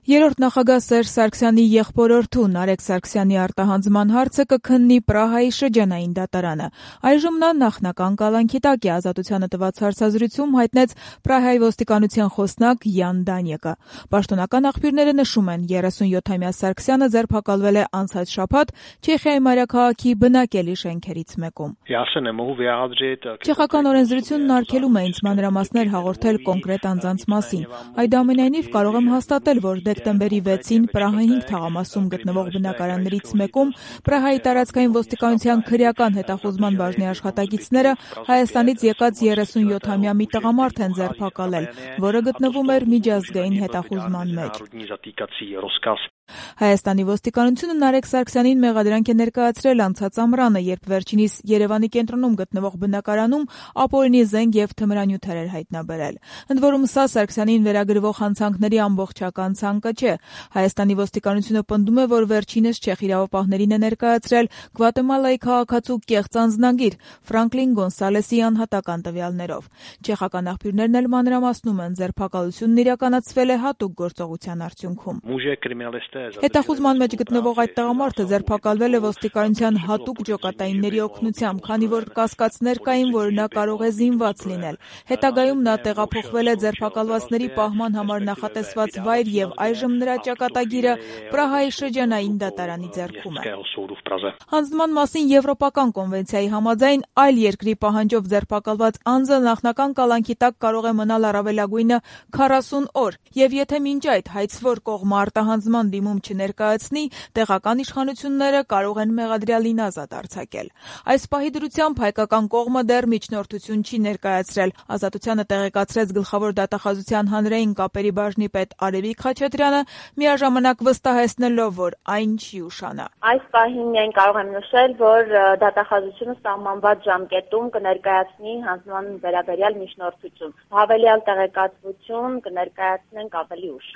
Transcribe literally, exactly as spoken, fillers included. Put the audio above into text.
Երրորդ նախագահ Սերժ Սարգսյանի եղբորորդու Նարեկ Սարգսյանի արտահանձնման հարցը կքննի Պրահայի շրջանային դատարանը։ Այժմ նա նախնական կալանքի տակ է, Ազատությանը տված հարցազրույցում հայտնեց Պրահայի ոստիկանության խոսնակ Յան Դանյեկը։ Պաշտոնական աղբյուրները նշում են, երեսունյոթամյա Սարգսյանը ձերբակալվել է անցած շաբաթ Չեխիայի մայրաքաղաքի բնակելի շենքերից մեկում։ Չեխական օրենսդրությունն արգելում է ինձ մանրամասներ հաղորդել կոնկրետ անձանց մասին։ Այդուամենայնիվ կարող եմ հաստատել, որ դեկտեմբերի վեցին Պրահայի հինգ թաղամասում գտնվող բնակարաններից մեկում Պրահայի տարածքային ոստիկանության քրեական հետախուզման բաժնի աշխատակիցները Հայաստանից եկած երեսունյոթամյա մի տղամարդ են ձերբակալել, որը գտնվում էր միջազգային հետախուզման մեջ։ Հայաստանի ոստիկանությունը Նարեկ Սարգսյանին մեղադրանք է ներկայացրել անցած ամռանը, երբ վերջինիս Երևանի կենտրոնում գտնվող բնակարանում ապօրինի զենք եւ թմրանյութեր էր հայտնաբերել։ Ընդ որում սա Սարգսյանին վերագրվող հանցանքների ամբողջական ցանկը չէ։ Հայաստանի ոստիկանությունը պնդում է, որ վերջինս չեխ իրավապահներին է ներկայացրել Գվատեմալայի քաղաքացու կեղծ անձնագիր Ֆրանկլին Գոնսալեսի անհատական տվյալներով։ Չեխական աղբյուրներն էլ մանրամասնում են, ձերբակալությունն իրականացվել է հատուկ գործողության արդյունքում։ Հետախուզման մեջ գտնվող այդ տղամարդը ձերբակալվել է ոստիկանության հատուկ ջոկատայինների օգնությամբ, քանի որ կասկածներ կային, որ նա կարող է զինված լինել։ Հետագայում նա տեղափոխվել է ձերբակալվածների պահման համար նախատեսված վայր եւ այժմ նրա ճակատագիրը Պրահայի շրջանային դատարանի ձեռքում է։ Հանձնման մասին Եվրոպական կոնվենցիայի համաձայն այլ երկրի պահանջով ձերբակալված անձը նախնական կալանքի տակ կարող է մնալ առավելագույնը քառասուն օր, եւ եթե մինչ այդ հայցվոր կողմը արտահանձնման դիմում չներկայացնի, տեղական իշխանությունները կարող են մեղադրյալին ազատ արձակել։ Այս պահի դրությամբ հայկական կողմը դեռ միջնորդություն չի ներկայացրել։ Ազատությանը տեղեկացրեց գլխավոր դատախազության հանրային կապերի բաժնի պետ Արևիկ Խաչատրյանը, միաժամանակ վստահեցնելով, որ այն չի ուշանա։ Այս պահին միայն կարող եմ նշել, որ դատախազությունը սահմանված ժամկետում կներկայացնի հանձնման վերաբերյալ միջնորդություն։ Հավելյալ տեղեկատվություն կներկայացնենք ավելի ուշ։